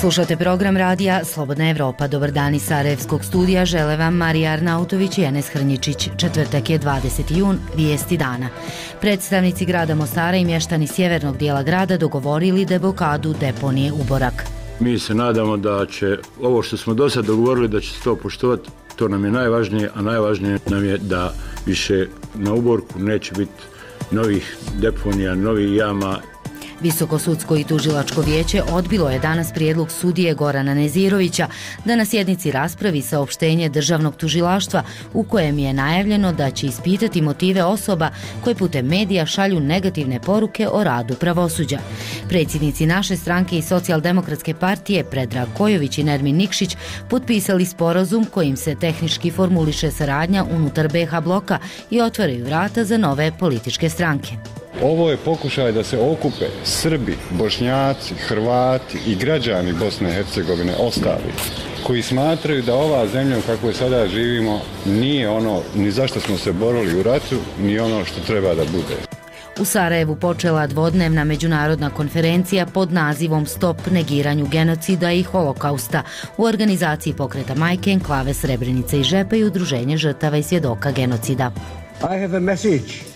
Slušate program radija Slobodna Evropa. Dobar dan iz Sarajevskog studija. Žele vam Marija Arnautović i Enes Hrnjičić. Četvrtak je 20. jun, vijesti dana. Predstavnici grada Mostara i mještani sjevernog dijela grada dogovorili deblokadu deponije Uborak. Mi se nadamo da će ovo što smo do sad dogovorili da će se to poštovati. To nam je najvažnije, a najvažnije nam je da više na Uborku neće biti novih deponija, novih jama. Visokosudsko i tužilačko vijeće odbilo je danas prijedlog sudije Gorana Nezirovića da na sjednici raspravi saopštenje državnog tužilaštva u kojem je najavljeno da će ispitati motive osoba koje putem medija šalju negativne poruke o radu pravosuđa. Predsjednici naše stranke i Socijaldemokratske partije Predrag Kojović i Nermin Nikšić potpisali sporazum kojim se tehnički formuliše saradnja unutar BiH bloka i otvaraju vrata za nove političke stranke. Ovo je pokušaj da se okupe Srbi, Bošnjaci, Hrvati i građani Bosne i Hercegovine ostali, koji smatraju da ova zemlja u kakvoj sada živimo nije ono ni zašto smo se borili u ratu, ni ono što treba da bude. U Sarajevu počela dvodnevna međunarodna konferencija pod nazivom Stop negiranju genocida i holokausta u organizaciji pokreta Majke, Enklave Srebrenice i Žepa i Udruženje žrtava i svjedoka genocida.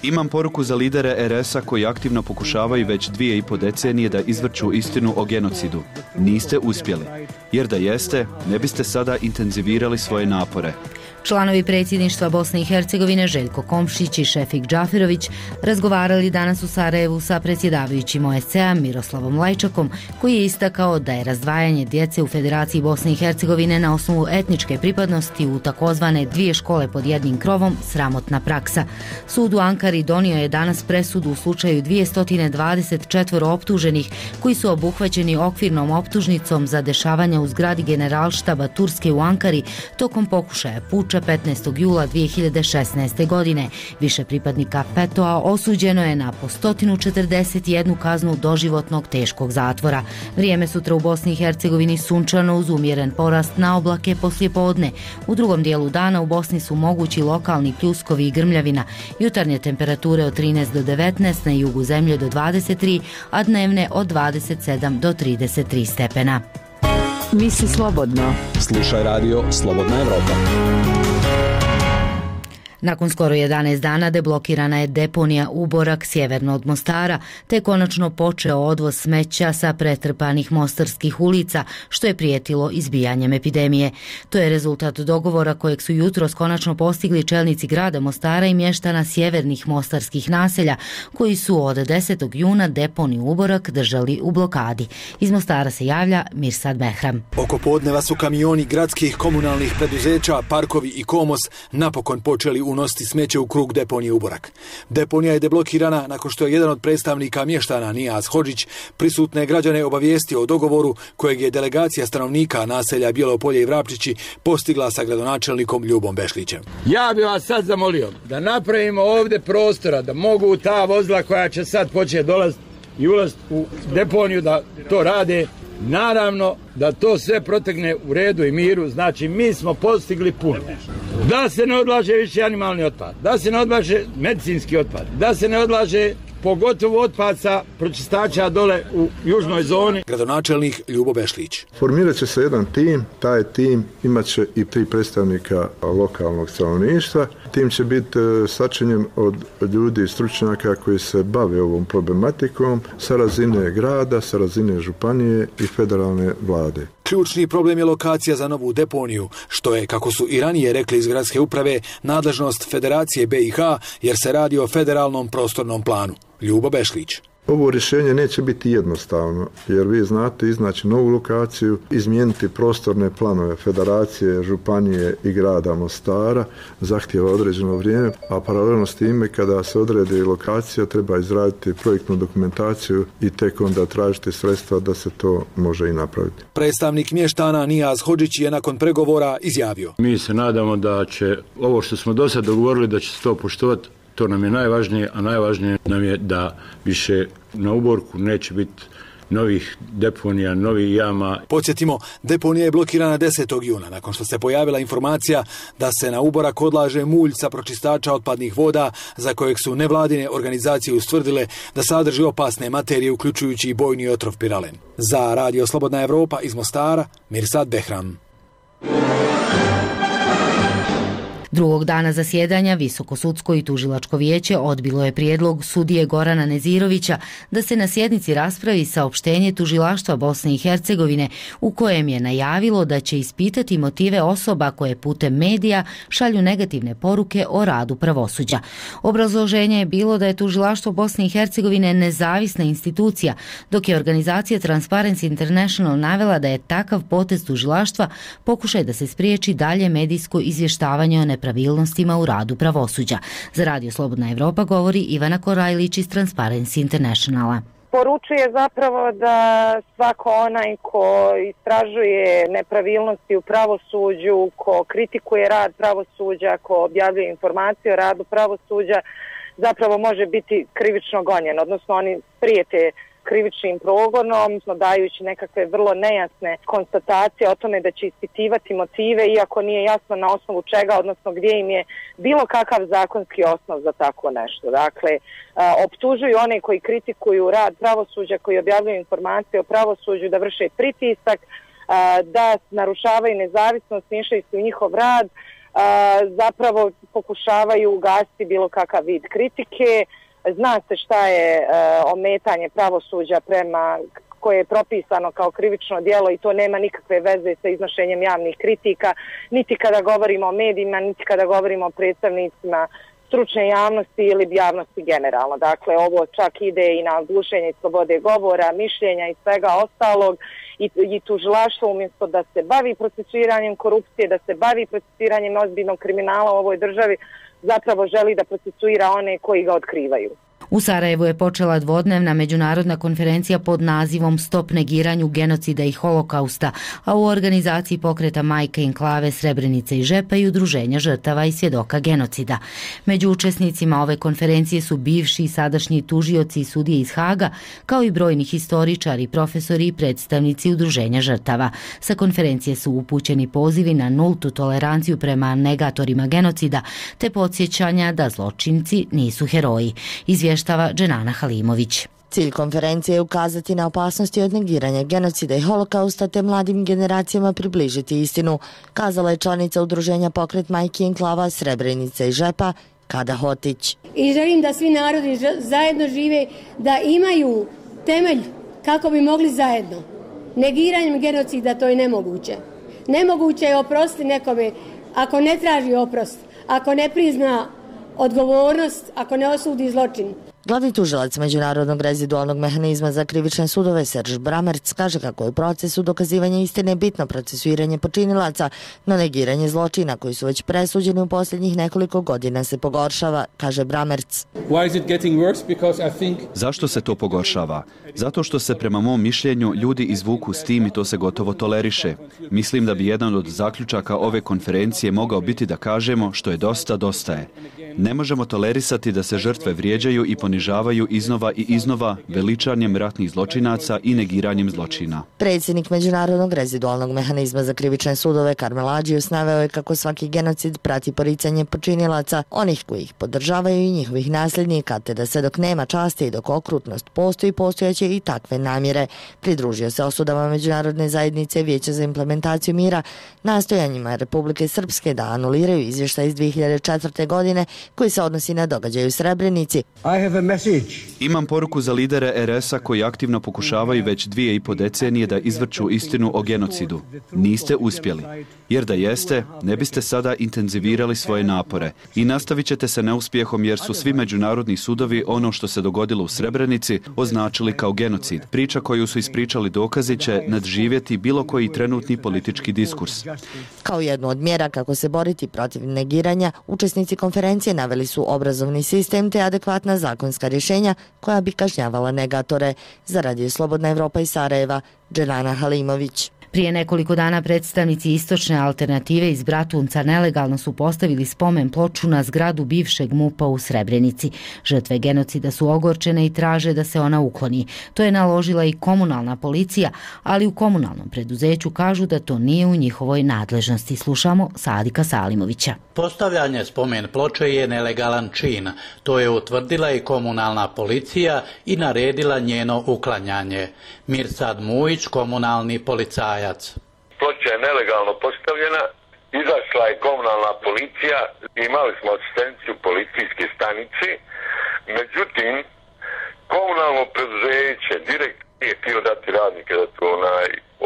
Imam poruku za lidere RS-a koji aktivno pokušavaju već 2,5 decenije da izvrću istinu o genocidu. Niste uspjeli, jer da jeste, ne biste sada intenzivirali svoje napore. Članovi predsjedništva Bosne i Hercegovine Željko Komšić i Šefik Džaferović razgovarali danas u Sarajevu sa predsjedavajućim OSCE-a Miroslavom Lajčakom, koji je istakao da je razdvajanje djece u Federaciji Bosne i Hercegovine na osnovu etničke pripadnosti u takozvane 2 škole pod jednim krovom sramotna praksa. Sud u Ankari donio je danas presudu u slučaju 224 optuženih koji su obuhvaćeni okvirnom optužnicom za dešavanja u zgradi Generalštaba Turske u Ankari tokom pokušaja puča 15. jula 2016. godine. Više pripadnika FETÖ-a osuđeno je na po 141 kaznu doživotnog teškog zatvora. Vrijeme sutra u Bosni i Hercegovini sunčano uz umjeren porast na oblake poslijepodne. U drugom dijelu dana u Bosni su mogući lokalni pljuskovi i grmljavina. Jutarnje temperature od 13 do 19, na jugu zemlje do 23, a dnevne od 27 do 33 stepena. Misli slobodno. Slušaj radio Slobodna Evropa. Nakon skoro 11 dana deblokirana je deponija Uborak sjeverno od Mostara, te konačno počeo odvoz smeća sa pretrpanih mostarskih ulica, što je prijetilo izbijanjem epidemije. To je rezultat dogovora kojeg su jutros konačno postigli čelnici grada Mostara i mještana sjevernih mostarskih naselja, koji su od 10. juna deponiju Uborak držali u blokadi. Iz Mostara se javlja Mirsad Behram. Oko podneva su kamioni gradskih komunalnih preduzeća, Parkovi i Komos napokon počeli unositi smeće u krug deponije Uborak. Deponija je deblokirana nakon što je jedan od predstavnika mještana Nijaz Hodžić prisutne građane obavijestio o dogovoru kojeg je delegacija stanovnika naselja Bjelopolje i Vrapčići postigla sa gradonačelnikom Ljubom Bešlićem. Ja bih vas sad zamolio da napravimo ovdje prostora da mogu ta vozila koja će sad početi dolaziti i ulaziti u deponiju da to rade. Naravno da to sve protegne u redu i miru, znači mi smo postigli puno. Da se ne odlaže više animalni otpad, da se ne odlaže medicinski otpad, da se ne odlaže pogotovo otpad sa pročistača dole u južnoj zoni. Gradonačelnik Ljubo Bešlić. Formirat će se jedan tim, taj tim imat će i 3 predstavnika lokalnog stanovništva. Tim će biti sačinjen od ljudi i stručnjaka koji se bave ovom problematikom sa razine grada, sa razine županije i federalne vlade. Ključni problem je lokacija za novu deponiju, što je, kako su i ranije rekli iz gradske uprave, nadležnost Federacije BiH, jer se radi o federalnom prostornom planu. Ljubo Bešlić. Ovo rješenje neće biti jednostavno, jer vi znate iznaći novu lokaciju, izmijeniti prostorne planove Federacije, Županije i grada Mostara, zahtijeva određeno vrijeme, a paralelno s time kada se odredi lokacija treba izraditi projektnu dokumentaciju i tek onda tražiti sredstva da se to može i napraviti. Predstavnik mještana Nijaz Hodžić je nakon pregovora izjavio. Mi se nadamo da će ovo što smo do sad dogovorili da će se to poštovati. To nam je najvažnije, a najvažnije nam je da više na Uborku neće biti novih deponija, novih jama. Podsjetimo, deponija je blokirana 10. juna, nakon što se pojavila informacija da se na Uborak odlaže mulj sa pročistača otpadnih voda, za kojeg su nevladine organizacije ustvrdile da sadrži opasne materije, uključujući i bojni otrov piralen. Za Radio Slobodna Evropa iz Mostara, Mirsad Behram. Drugog dana zasjedanja Visokosudsko i tužilačko vijeće odbilo je prijedlog sudije Gorana Nezirovića da se na sjednici raspravi saopštenje tužilaštva Bosne i Hercegovine u kojem je najavilo da će ispitati motive osoba koje putem medija šalju negativne poruke o radu pravosuđa. Obrazloženje je bilo da je tužilaštvo Bosne i Hercegovine nezavisna institucija, dok je organizacija Transparency International navela da je takav potez tužilaštva pokušaj da se spriječi dalje medijsko izvještavanje o nepravilnostima u radu pravosuđa. Za Radio Slobodna Evropa govori Ivana Korajlić iz Transparency Internationala. Poručuje zapravo da svako onaj ko istražuje nepravilnosti u pravosuđu, ko kritikuje rad pravosuđa, ko objavljuje informacije o radu pravosuđa, zapravo može biti krivično gonjen, odnosno oni prijete krivičnim progonom, dajući nekakve vrlo nejasne konstatacije o tome da će ispitivati motive, iako nije jasno na osnovu čega, odnosno gdje im je bilo kakav zakonski osnov za tako nešto. Dakle, optužuju one koji kritikuju rad pravosuđa, koji objavljuju informacije o pravosuđu, da vrše pritisak, da narušavaju nezavisnost, miješaju se u njihov rad, zapravo pokušavaju ugasiti bilo kakav vid kritike. Zna se šta je ometanje pravosuđa koje je propisano kao krivično djelo i to nema nikakve veze sa iznošenjem javnih kritika, niti kada govorimo o medijima, niti kada govorimo o predstavnicima stručne javnosti ili javnosti generalno. Dakle, ovo čak ide i na gušenje slobode govora, mišljenja i svega ostalog i tužilaštvo umjesto da se bavi procesuiranjem korupcije, da se bavi procesuiranjem ozbiljnog kriminala u ovoj državi, zapravo želi da procesuira one koji ga otkrivaju. U Sarajevu je počela dvodnevna međunarodna konferencija pod nazivom Stop negiranju genocida i holokausta, a u organizaciji pokreta Majke Enklave, Srebrenice i Žepa i udruženja žrtava i svjedoka genocida. Među učesnicima ove konferencije su bivši i sadašnji tužioci i sudije iz Haga, kao i brojni historičari, profesori i predstavnici udruženja žrtava. Sa konferencije su upućeni pozivi na nultu toleranciju prema negatorima genocida, te podsjećanja da zločinci nisu heroji. Izvještava Dženana Halimović. Cilj konferencije je ukazati na opasnosti od negiranja genocida i holokausta te mladim generacijama približiti istinu, kazala je članica udruženja Pokret Majki Enklava, Srebrenice i Žepa, Kada Hotić. I želim da svi narodi zajedno žive, da imaju temelj kako bi mogli zajedno. Negiranjem genocida to je nemoguće. Nemoguće je oprostiti nekome ako ne traži oprost, ako ne prizna odgovornost, ako ne osudi zločin. Glavni tužilac Međunarodnog rezidualnog mehanizma za krivične sudove Serž Bramerc kaže kako je u procesu dokazivanja istine bitno procesuiranje počinilaca, no negiranje zločina koji su već presuđeni u posljednjih nekoliko godina se pogoršava, kaže Bramerc. Zašto se to pogoršava? Zato što se prema mom mišljenju ljudi izvuku s tim i to se gotovo toleriše. Mislim da bi jedan od zaključaka ove konferencije mogao biti da kažemo što je dosta, dosta je. Ne možemo tolerisati da se žrtve vrijeđaju i ponižavaju iznova i iznova veličanjem ratnih zločinaca i negiranjem zločina. Predsjednik Međunarodnog rezidualnog mehanizma za krivične sudove Karmel Adžius naveo je kako svaki genocid prati poricanje počinilaca, onih koji ih podržavaju i njihovih nasljednika, te da se dok nema časti i dok okrutnost postoji, postojaće i takve namjere. Pridružio se osudama Međunarodne zajednice Vijeća za implementaciju mira, nastojanjima Republike Srpske da anuliraju izvještaj iz 2004. godine koji se odnosi na događaj u Srebrenici. Imam poruku za lidere RS-a koji aktivno pokušavaju već 2,5 decenije da izvrću istinu o genocidu. Niste uspjeli. Jer da jeste, ne biste sada intenzivirali svoje napore. I nastavit ćete se neuspjehom jer su svi međunarodni sudovi ono što se dogodilo u Srebrenici označili kao genocid. Priča koju su ispričali dokazi će nadživjeti bilo koji trenutni politički diskurs. Kao jednu od mjera kako se boriti protiv negiranja, učesnici konferencije naveli su obrazovni sistem te adekvatna zakonska rješenja koja bi kažnjavala negatore. Za Radio Slobodna Evropa iz Sarajeva, Dženana Halimović. Prije nekoliko dana predstavnici Istočne alternative iz Bratunca nelegalno su postavili spomen ploču na zgradu bivšeg MUP-a u Srebrenici. Žrtve genocida su ogorčene i traže da se ona ukloni. To je naložila i komunalna policija, ali u komunalnom preduzeću kažu da to nije u njihovoj nadležnosti. Slušamo Sadika Salimovića. Postavljanje spomen ploče je nelegalan čin. To je utvrdila i komunalna policija i naredila njeno uklanjanje. Mirsad Mujić, komunalni policajac. Ploča je nelegalno postavljena, izašla je komunalna policija, imali smo asistenciju policijske stanice, međutim, komunalno preduzeće direkt nije htio dati radnike da to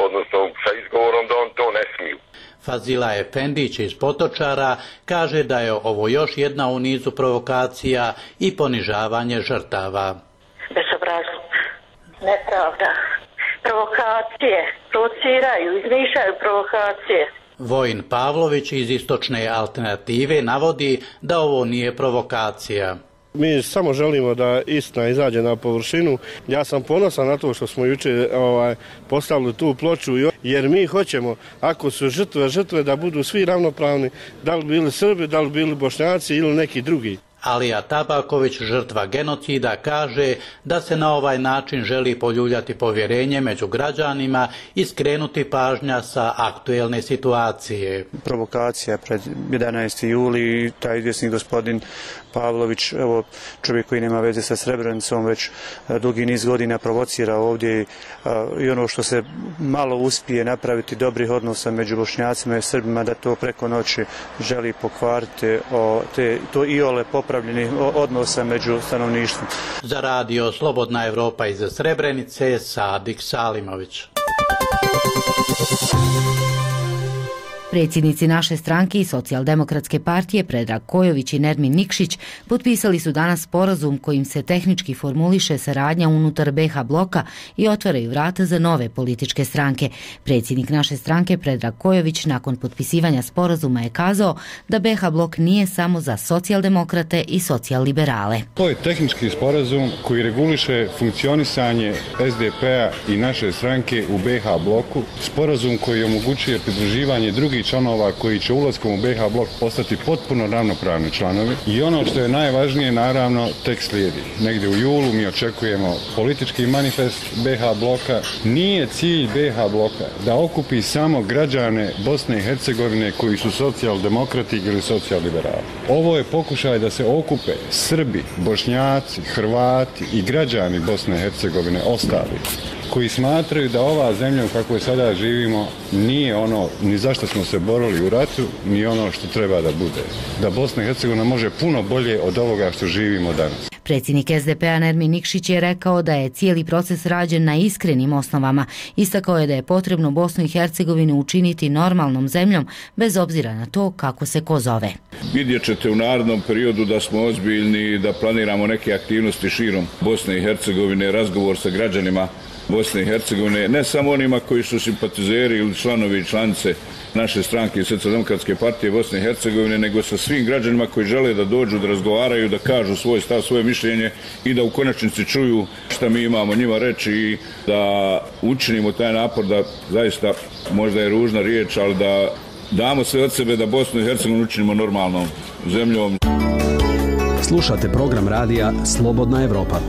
odnosno sa izgovorom da on to ne smiju. Fazila Efendić iz Potočara kaže da je ovo još jedna u nizu provokacija i ponižavanje žrtava. Bezobrazluk, nepravda, provokacije, provociraju, izmišljaju provokacije. Vojin Pavlović iz Istočne alternative navodi da ovo nije provokacija. Mi samo želimo da istina izađe na površinu. Ja sam ponosan na to što smo jučer postavili tu ploču, jer mi hoćemo, ako su žrtve da budu svi ravnopravni, da li bili Srbi, da li bili Bošnjaci ili neki drugi. Alija Tabaković, žrtva genocida, kaže da se na ovaj način želi poljuljati povjerenje među građanima i skrenuti pažnja sa aktuelne situacije. Provokacija pred 11. juli, taj izvjesni gospodin Pavlović, evo čovjek koji nema veze sa Srebrenicom, već dugi niz godina provocira ovdje i ono što se malo uspije napraviti dobrih odnosa među Bošnjacima i Srbima, da to preko noći želi pokvariti to iole popravljeni odnosa među stanovništvom. Za radio Slobodna Evropa iz Srebrenice, Sadik Salimović. Predsjednici naše stranke i Socijaldemokratske partije Predrag Kojović i Nermin Nikšić potpisali su danas sporazum kojim se tehnički formuliše saradnja unutar BiH bloka i otvaraju vrata za nove političke stranke. Predsjednik naše stranke Predrag Kojović nakon potpisivanja sporazuma je kazao da BiH blok nije samo za socijaldemokrate i socijal-liberale. To je tehnički sporazum koji reguliše funkcionisanje SDP-a i naše stranke u BiH bloku, sporazum koji omogućuje pridruživanje drugih članova koji će ulaskom u BiH blok postati potpuno ravnopravni članovi. I ono što je najvažnije, naravno, tek slijedi. Negdje u julu mi očekujemo politički manifest BiH bloka. Nije cilj BiH bloka da okupi samo građane Bosne i Hercegovine koji su socijaldemokrati ili socijal-liberali. Ovo je pokušaj da se okupe Srbi, Bošnjaci, Hrvati i građani Bosne i Hercegovine ostali, koji smatraju da ova zemlja u kakvoj sada živimo nije ono ni zašto smo se borili u ratu, ni ono što treba da bude. Da Bosna i Hercegovina može puno bolje od ovoga što živimo danas. Predsjednik SDP-a Nermin Nikšić je rekao da je cijeli proces rađen na iskrenim osnovama. Istakao je da je potrebno Bosnu i Hercegovinu učiniti normalnom zemljom, bez obzira na to kako se ko zove. Vidjet ćete u narednom periodu da smo ozbiljni, da planiramo neke aktivnosti širom Bosne i Hercegovine, razgovor sa građanima Bosne i Hercegovine, ne samo onima koji su simpatizeri ili članovi i članice naše stranke i Socijaldemokratske partije Bosne i Hercegovine, nego sa svim građanima koji žele da dođu, da razgovaraju, da kažu svoj stav, svoje mišljenje i da u konačnici čuju šta mi imamo njima reći i da učinimo taj napor da zaista, možda je ružna riječ, ali da damo sve od sebe da Bosnu i Hercegovinu učinimo normalnom zemljom. Slušate program radija Slobodna Evropa.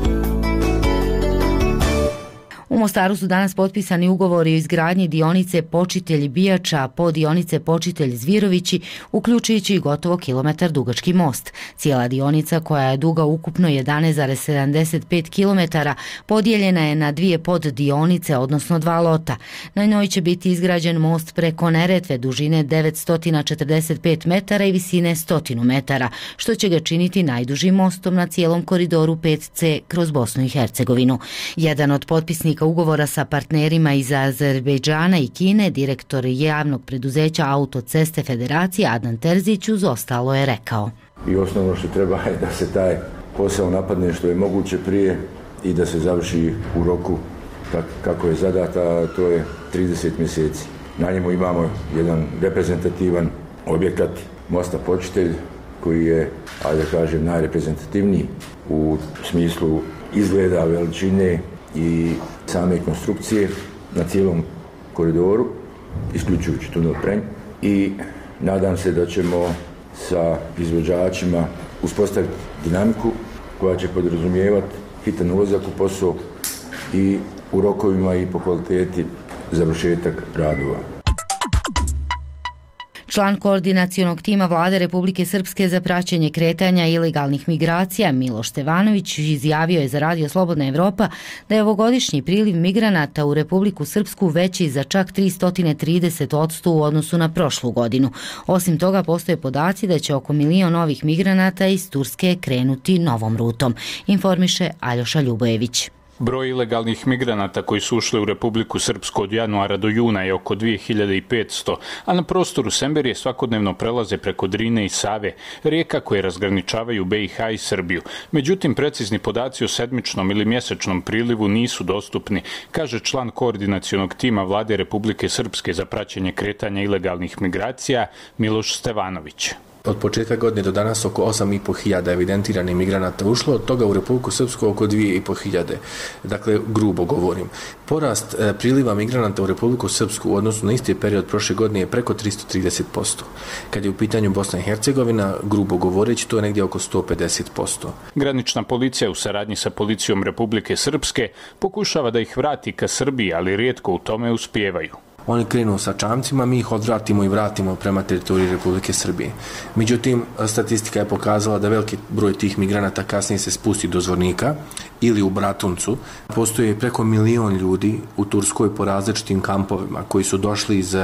U Mostaru su danas potpisani ugovori o izgradnji dionice Počitelj-Bijača po dionice Počitelj-Zvirovići, uključujući i gotovo kilometar dugački most. Cijela dionica, koja je duga ukupno 11,75 km, podijeljena je na dvije poddionice, odnosno dva lota. Na njoj će biti izgrađen most preko Neretve dužine 945 metara i visine 100 metara, što će ga činiti najdužim mostom na cijelom koridoru 5C kroz Bosnu i Hercegovinu. Jedan od potpisnika ugovora sa partnerima iz Azerbejdžana i Kine, direktor javnog preduzeća Autoceste Federacije Adnan Terzić uz ostalo je rekao. I osnovno što treba je da se taj posao napadne što je moguće prije i da se završi u roku kako je zadata, to je 30 mjeseci. Na njemu imamo jedan reprezentativan objekat mosta Počitelj koji je, ajde da kažem, najreprezentativniji u smislu izgleda, veličine i same konstrukcije na cijelom koridoru. isključujući tunel Prenj, i nadam se da ćemo sa izvođačima uspostaviti dinamiku koja će podrazumijevati hitan ulazak u posao i u rokovima i po kvaliteti završetak radova. Član koordinacionog tima Vlade Republike Srpske za praćenje kretanja ilegalnih migracija Miloš Stevanović izjavio je za Radio Slobodna Evropa da je ovogodišnji priliv migranata u Republiku Srpsku veći za čak 330% u odnosu na prošlu godinu. Osim toga, postoje podaci da će oko 1 milion novih migranata iz Turske krenuti novom rutom, informiše Aljoša Ljubojević. Broj ilegalnih migranata koji su ušli u Republiku Srpsku od januara do juna je oko 2500, a na prostoru Semberije svakodnevno prelaze preko Drine i Save, rijeka koje razgraničavaju BiH i Srbiju. Međutim, precizni podaci o sedmičnom ili mjesečnom prilivu nisu dostupni, kaže član koordinacionog tima Vlade Republike Srpske za praćenje kretanja ilegalnih migracija Miloš Stevanović. Od početka godine do danas oko 8.500 evidentiranih migranata ušlo, od toga u Republiku Srpsku oko 2.500. Dakle, grubo govorim. Porast priliva migranata u Republiku Srpsku u odnosu na isti period prošle godine je preko 330%. Kad je u pitanju Bosna i Hercegovina, grubo govoreći, to je negdje oko 150%. Granična policija u saradnji sa policijom Republike Srpske pokušava da ih vrati ka Srbiji, ali rijetko u tome uspijevaju. Oni krenu sa čamcima, mi ih odvratimo i vratimo prema teritoriji Republike Srbije. Međutim, statistika je pokazala da veliki broj tih migranata kasnije se spusti do Zvornika ili u Bratuncu. Postoje preko 1 milion ljudi u Turskoj po različitim kampovima koji su došli iz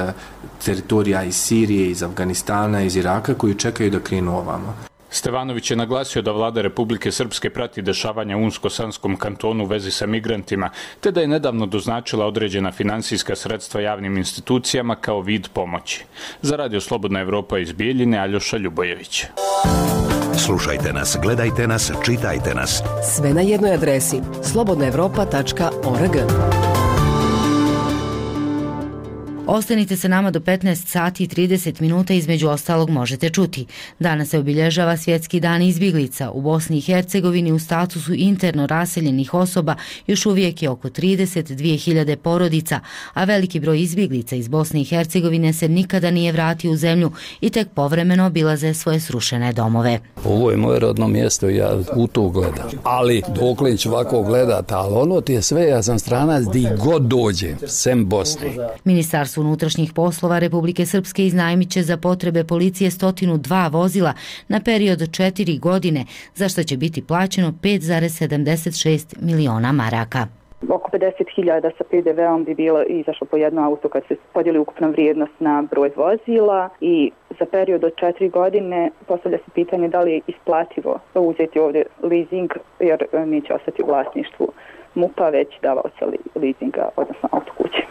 teritorija iz Sirije, iz Afganistana, iz Iraka, koji čekaju da krenu ovamo. Stevanović je naglasio da Vlada Republike Srpske prati dešavanja u Unsko-Sanskom kantonu u vezi sa migrantima, te da je nedavno doznačila određena finansijska sredstva javnim institucijama kao vid pomoći. Za Radio Slobodna Evropa iz Bijeljine, Aljoša Ljubojević. Slušajte nas, gledajte nas, čitajte nas. Sve na jednoj adresi slobodnaevropa.org. Ostanite sa nama do 15 sati i 30 minuta, između ostalog možete čuti. Danas se obilježava Svjetski dan izbjeglica. U Bosni i Hercegovini u statusu interno raseljenih osoba još uvijek je oko 32.000 porodica, a veliki broj izbjeglica iz Bosne i Hercegovine se nikada nije vratio u zemlju i tek povremeno obilaze svoje srušene domove. Ovo je moje rodno mjesto i ja u to gledam. Ali dokle ću ovako gledati, ali ono ti je sve, ja sam stranac di god dođe, sem Bosne. Ministarstvo unutrašnjih poslova Republike Srpske iznajmit će za potrebe policije 102 vozila na period od 4 godine, za što će biti plaćeno 5,76 miliona maraka. Oko 50.000 sa PDV-om bi bilo izašlo po jedno auto kad se podijeli ukupna vrijednost na broj vozila i za period od 4 godine postavlja se pitanje da li je isplativo uzeti ovdje leasing jer neće ostati u vlasništvu MUP-a već davaoca leasinga, odnosno autokuće.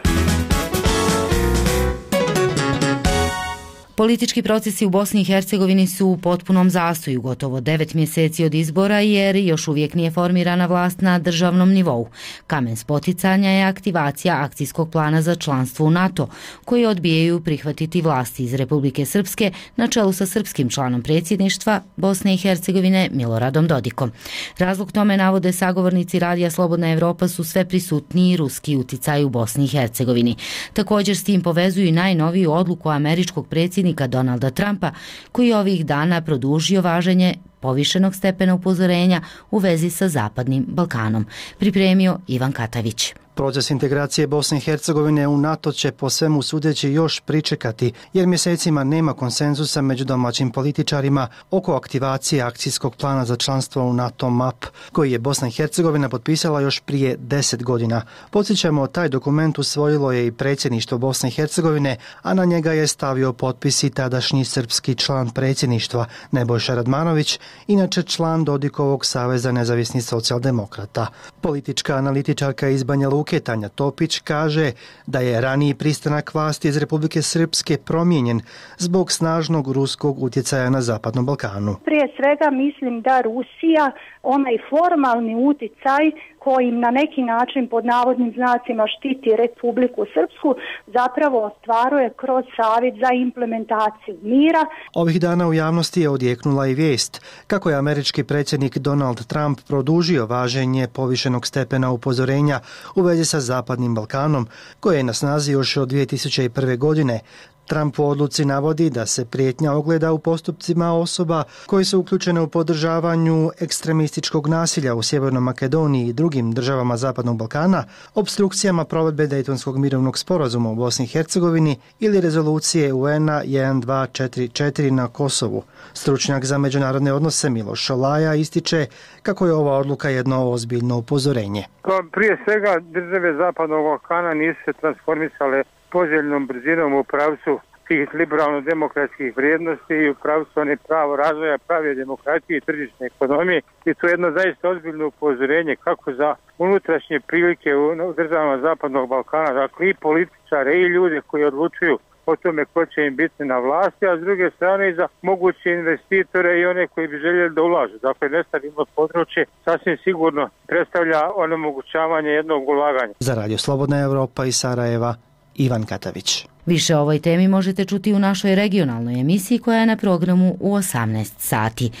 Politički procesi u Bosni i Hercegovini su u potpunom zastoju gotovo 9 mjeseci od izbora jer još uvijek nije formirana vlast na državnom nivou. Kamen spoticanja je aktivacija akcijskog plana za članstvo u NATO, koji odbijaju prihvatiti vlasti iz Republike Srpske na čelu sa srpskim članom predsjedništva Bosne i Hercegovine Miloradom Dodikom. Razlog tome, navode sagovornici Radija Slobodna Evropa, su sve prisutniji ruski uticaj u Bosni i Hercegovini. Također s tim povezuju i najnoviju odluku američkog predsjednika Donalda Trumpa, koji ovih dana produžio važenje povišenog stepena upozorenja u vezi sa Zapadnim Balkanom. Pripremio Ivan Katavić. Proces integracije Bosne i Hercegovine u NATO će po svemu sudeći još pričekati, jer mjesecima nema konsenzusa među domaćim političarima oko aktivacije akcijskog plana za članstvo u NATO MAP, koji je Bosna i Hercegovina potpisala još prije 10 godina. Podsjećamo, taj dokument usvojilo je i predsjedništvo Bosne i Hercegovine, a na njega je stavio potpis i tadašnji srpski član predsjedništva Nebojša Radmanović, inače član Dodikovog Saveza nezavisnih socijaldemokrata. Politička analitičarka iz Banja Luke Tanja Topić kaže da je raniji pristanak vlasti iz Republike Srpske promijenjen zbog snažnog ruskog utjecaja na Zapadnom Balkanu. Prije svega mislim da Rusija, onaj formalni utjecaj kojim na neki način pod navodnim znacima štiti Republiku Srpsku zapravo ostvaruje kroz Savjet za implementaciju mira. Ovih dana u javnosti je odjeknula i vijest kako je američki predsjednik Donald Trump produžio važenje povišenog stepena upozorenja u vezi sa Zapadnim Balkanom, koje je na snazi još od 2001. godine. Trump u odluci navodi da se prijetnja ogleda u postupcima osoba koji su uključene u podržavanju ekstremističkog nasilja u Sjevernoj Makedoniji i drugim državama Zapadnog Balkana, opstrukcijama provedbe Dejtonskog mirovnog sporazuma u Bosni i Hercegovini ili rezolucije UN-a 1244 na Kosovu. Stručnjak za međunarodne odnose Miloš Šolaja ističe kako je ova odluka jedno ozbiljno upozorenje. Prije svega države Zapadnog Balkana nisu se transformisale poželjnom brzinom u pravcu tih liberalno-demokratskih vrijednosti i u pravcu one pravo razvoja, prave demokratije i tržišne ekonomije. I to je jedno zaista ozbiljno upozorenje kako za unutrašnje prilike u državama Zapadnog Balkana, dakle i političare i ljude koji odlučuju o tome ko će im biti na vlasti, a s druge strane i za moguće investitore i one koji bi željeli da ulažu. Dakle, nestabilno područje sasvim sigurno predstavlja onemogućavanje jednog ulaganja. Za Radio Slobodna Evropa iz Sarajeva, Ivan Katavić. Više o ovoj temi možete čuti u našoj regionalnoj emisiji koja je na programu u 18 sati.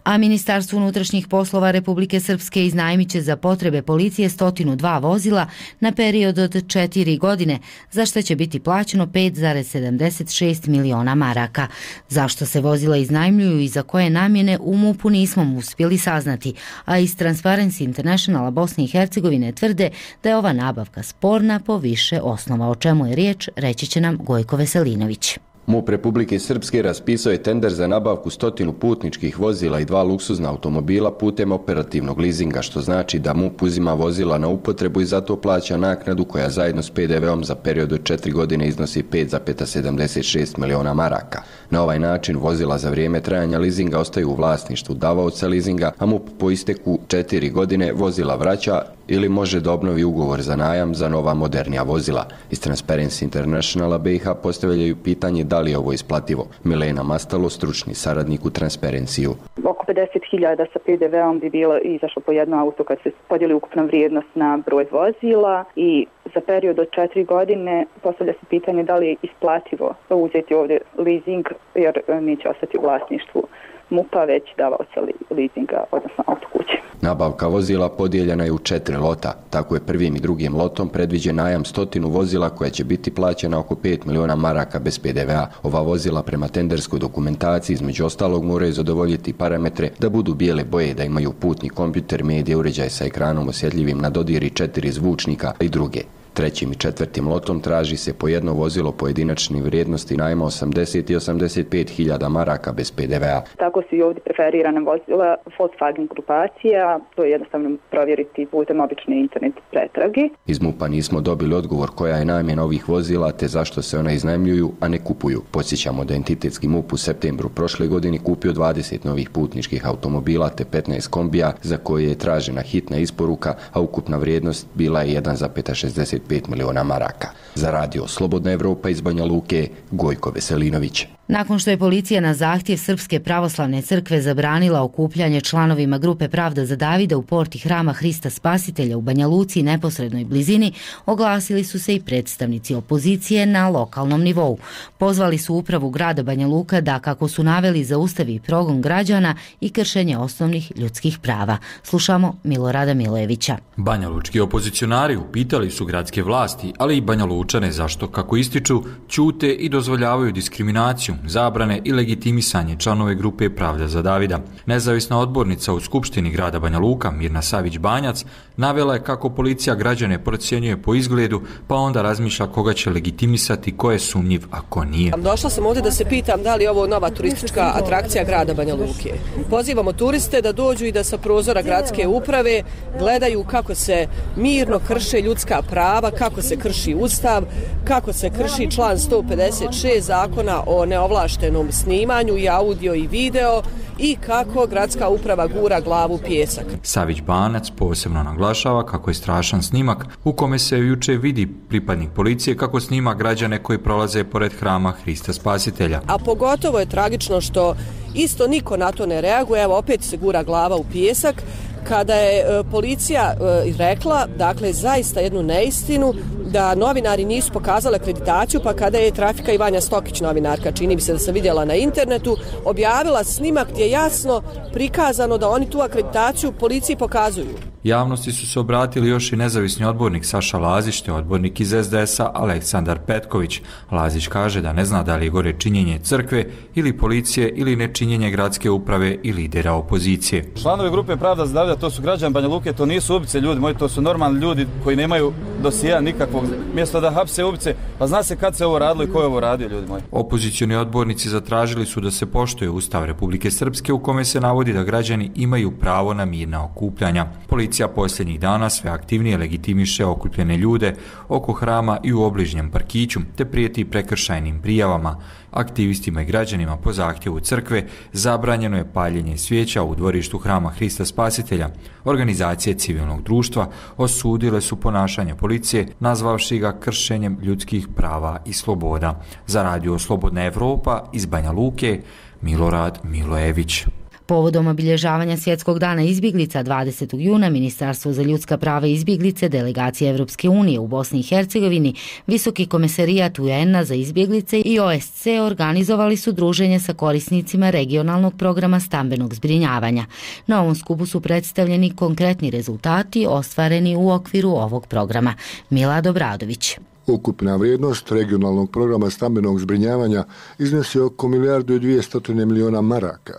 A Ministarstvo unutrašnjih poslova Republike Srpske iznajmit će za potrebe policije 102 vozila na period od 4 godine, za što će biti plaćeno 5,76 miliona maraka. Zašto se vozila iznajmljuju i za koje namjene u MUP-u nismo uspjeli saznati, a iz Transparency Internationala Bosne i Hercegovine tvrde da je ova nabavka sporna po više osnova. O čemu je riječ, reći će nam Gojko Veselinović. MUP Republike Srpske raspisao je tender za nabavku 100 putničkih vozila i 2 luksuzna automobila putem operativnog leasinga, što znači da MUP uzima vozila na upotrebu i zato plaća naknadu koja zajedno s PDV-om za period od 4 godine iznosi 5,76 miliona maraka. Na ovaj način vozila za vrijeme trajanja leasinga ostaju u vlasništvu davaoca leasinga, a MUP po isteku 4 godine vozila vraća ili može da obnovi ugovor za najam za nova modernija vozila. Iz Transparency Internationala BiH postavljaju pitanje da li je ovo isplativo. Milena Mastalo, stručni saradnik u Transparency-u. Oko 50.000 sa PDV-om bi bilo izašlo po jedno auto kad se podijeli ukupna vrijednost na broj vozila i za period od 4 godine postavlja se pitanje da li je isplativo uzeti ovdje leasing jer neće ostati u vlasništvu MUP-a već davaoca leasinga, odnosno autokuće. Nabavka vozila podijeljena je u 4 lota. Tako je prvim i drugim lotom predviđen najam 100 vozila koja će biti plaćena oko 5 miliona maraka bez PDV-a. Ova vozila prema tenderskoj dokumentaciji između ostalog moraju zadovoljiti parametre da budu bijele boje, da imaju putni kompjuter, medije, uređaj sa ekranom osjetljivim na dodir i 4 zvučnika i druge. Trećim i četvrtim lotom traži se po jedno vozilo pojedinačne vrijednosti najma 80 i 85 hiljada maraka bez PDV-a. Tako su i ovdje preferirana vozila Volkswagen grupacija, to je jednostavno provjeriti putem obične internet pretrage. Iz MUP-a nismo dobili odgovor koja je namjena ovih vozila te zašto se ona iznajmljuju, a ne kupuju. Podsjećamo da entitetski MUP u septembru prošle godine kupio 20 novih putničkih automobila te 15 kombija za koje je tražena hitna isporuka, a ukupna vrijednost bila je 1,65 miliona maraka. Za Radio Slobodna Evropa iz Banja Luke, Gojko Veselinović. Nakon što je policija na zahtjev Srpske pravoslavne crkve zabranila okupljanje članovima grupe Pravda za Davida u porti hrama Hrista Spasitelja u Banja Luci i neposrednoj blizini, oglasili su se i predstavnici opozicije na lokalnom nivou. Pozvali su upravu grada Banja Luka da, kako su naveli, zaustavi progon građana i kršenje osnovnih ljudskih prava. Slušamo Milorada Milojevića. Banja Lučki opozicionari upitali su gradske vlasti, ali i Banja Lučane zašto, kako ističu, ćute i dozvoljavaju diskriminaciju, zabrane i legitimisanje članove grupe Pravda za Davida. Nezavisna odbornica u Skupštini grada Banja Luka, Mirna Savić-Banjac, navela je kako policija građane procjenjuje po izgledu, pa onda razmišlja koga će legitimisati, ko je sumnjiv, a ko nije. Došla sam ovdje da se pitam da li je ovo nova turistička atrakcija grada Banja Luke. Pozivamo turiste da dođu i da sa prozora gradske uprave gledaju kako se mirno krše ljudska prava, kako se krši Ustav, kako se krši član 156 zakona o neovlaštenom snimanju i audio i video i kako gradska uprava gura glavu pjesak. Savić-Banac posebno naglašava kako je strašan snimak u kome se juče vidi pripadnik policije kako snima građane koji prolaze pored hrama Hrista Spasitelja. A pogotovo je tragično što isto niko na to ne reaguje, evo opet se gura glava u pjesak, kada je policija rekla, dakle, zaista jednu neistinu, da novinari nisu pokazali akreditaciju, pa kada je Trafika i Vanja Stokić, novinarka, čini mi se da sam vidjela na internetu, objavila snimak gdje je jasno prikazano da oni tu akreditaciju policiji pokazuju. Javnosti su se obratili još i nezavisni odbornik Saša Lazić te odbornik iz SDS-a Aleksandar Petković. Lazić kaže da ne zna da li je gore činjenje crkve ili policije ili nečinjenje gradske uprave i lidera opozicije. Članovi grupe Pravda za Davida, to su građani Banja Luke, to nisu ubice ljudi moji, to su normalni ljudi koji nemaju dosija nikakvog mjesta da hapse ubice, pa zna se kad se ovo radilo i ko je ovo radio, ljudi moji. Opozicioni odbornici zatražili su da se poštuje Ustav Republike Srpske u kome se navodi da građani imaju pravo na mirna okupljanja. Policija posljednjih dana sve aktivnije legitimiše okupljene ljude oko hrama i u obližnjem parkiću, te prijeti prekršajnim prijavama. Aktivistima i građanima po zahtjevu crkve zabranjeno je paljenje svijeća u dvorištu hrama Hrista Spasitelja. Organizacije civilnog društva osudile su ponašanje policije, nazvavši ga kršenjem ljudskih prava i sloboda. Za radio Slobodna Evropa iz Banja Luke, Milorad Milojević. Povodom obilježavanja Svjetskog dana izbjeglica 20. juna Ministarstvo za ljudska prava i izbjeglice delegacije Evropske unije u Bosni i Hercegovini, Visoki komesarijat UN-a za izbjeglice i OSC organizovali su druženje sa korisnicima regionalnog programa stambenog zbrinjavanja. Na ovom skupu su predstavljeni konkretni rezultati ostvareni u okviru ovog programa. Milad Obradović. Ukupna vrijednost regionalnog programa stambenog zbrinjavanja iznosi oko 1,2 milijarde maraka.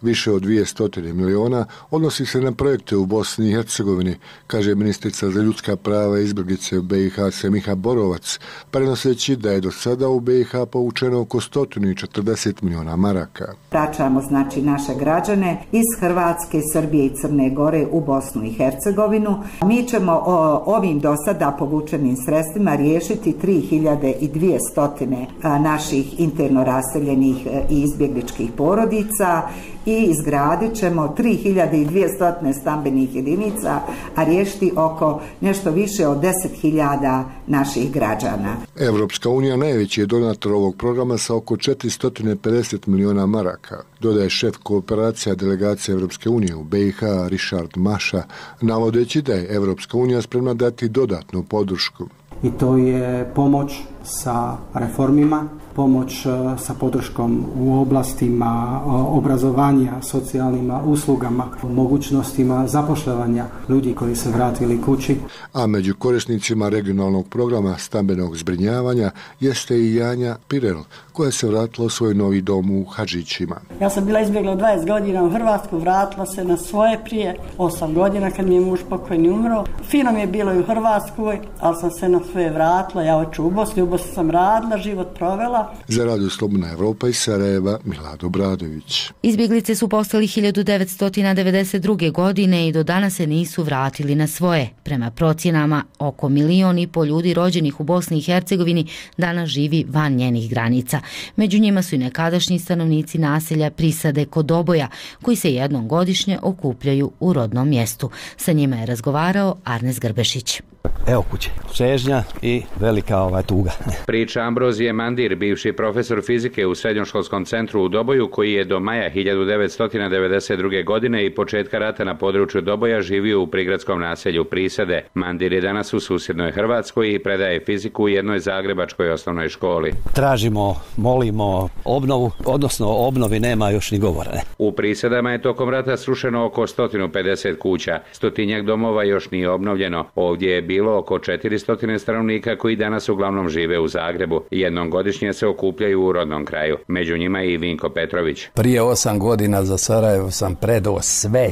Više od 200 miliona odnosi se na projekte u Bosni i Hercegovini, kaže ministrica za ljudska prava i izbjeglice u BiH Semiha Borovac, prenoseći da je do sada u BiH povučeno oko 140 miliona maraka. Vraćamo znači naše građane iz Hrvatske, Srbije i Crne Gore u Bosnu i Hercegovinu. Mi ćemo ovim do sada povučenim sredstvima riješiti 3200 naših interno raseljenih i izbjegličkih porodica i izgradit ćemo 3200 stambenih jedinica, a riješiti oko nešto više od 10.000 naših građana. Evropska unija najveći je donator ovog programa sa oko 450 miliona maraka, dodaje šef kooperacija delegacije Evropske unije u BiH Richard Maša, navodeći da je Evropska unija spremna dati dodatnu podršku. I to je pomoć sa reformima, pomoć sa podrškom u oblastima obrazovanja, socijalnim uslugama, mogućnostima zapošljavanja ljudi koji se vratili kući. A među korisnicima regionalnog programa stambenog zbrinjavanja jeste i Janja Pirel, koja se vratila u svoj novi dom u Hadžićima. Ja sam bila izbjegla 20 godina u Hrvatsku, vratila se na svoje prije 8 godina kad mi je muž pokojni umro. Fino mi je bilo i u Hrvatskoj, ali sam se na svoje vratila, ja hoću u Bosni sam radila, život provela. Za radio Slobodna Evropa iz Sarajeva, Milad Obradović. Izbjeglice su postali 1992. godine i do danas se nisu vratili na svoje. Prema procjenama, oko 1,5 miliona ljudi rođenih u Bosni i Hercegovini danas živi van njenih granica. Među njima su i nekadašnji stanovnici naselja Prisade kod Doboja, koji se jednom godišnje okupljaju u rodnom mjestu. Sa njima je razgovarao Arnes Grbešić. Evo kuće, čežnja i velika tuga. Priča Ambrozije Mandir, bivši profesor fizike u srednjoškolskom centru u Doboju, koji je do maja 1992. godine i početka rata na području Doboja živio u prigradskom naselju Prisade. Mandir je danas u susjednoj Hrvatskoj i predaje fiziku u jednoj zagrebačkoj osnovnoj školi. Tražimo, molimo obnovu, odnosno o obnovi nema još ni govora. Ne? U Prisadama je tokom rata srušeno oko 150 kuća, 100 domova još nije obnovljeno. Ovdje je bilo oko 400 stanovnika koji danas uglavnom žive u Zagrebu. Jednom godišnje se okupljaju u rodnom kraju. Među njima i Vinko Petrović. Prije 8 godina za Sarajevo sam predao sve.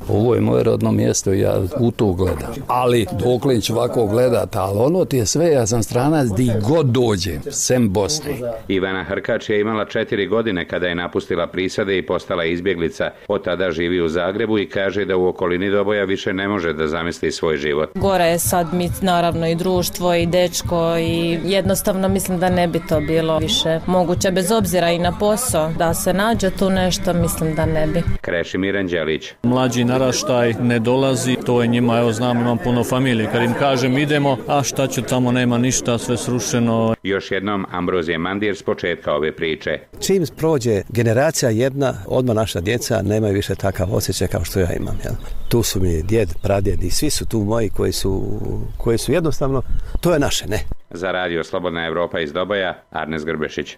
Ovo je moje rodno mjesto i ja u to gledam. Ali Doklić ovako gledata, ali ono ti je sve, ja sam stranac di god dođem, sem Bosne. Ivana Hrkač je imala 4 godine kada je napustila Prisade i postala izbjeglica. Od tada živi u Zagrebu i kaže da u okolini Doboja više ne može da zamisli svoj život. Gore je sad mi naravno i društvo i dečko i jednostavno mislim da ne bi to bilo više moguće bez obzira i na posao. Da se nađe tu nešto, mislim da ne bi. Krešimir Anđelić. Mlađi naraštaj ne dolazi, to je njima, evo znam, imam puno familije. Kad im kažem idemo, a šta će tamo, nema ništa, sve srušeno. Još jednom Ambrozije Mandir s početka ove priče. Čim prođe generacija jedna, odmah naša djeca nemaju više takav osjećaj kao što ja imam. Jel? Tu su mi djed, pradjed i svi su tu moji koji su jednostavno, to je naše, ne? Za radio Slobodna Evropa iz Doboja, Arnes Grbešić.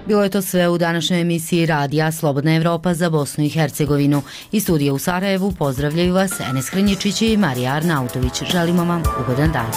Bilo je to sve u današnjoj emisiji radija Slobodna Evropa za Bosnu i Hercegovinu. Iz studija u Sarajevu pozdravljaju vas Enes Hrnjičić i Marija Arnautović. Želimo vam ugodan dan.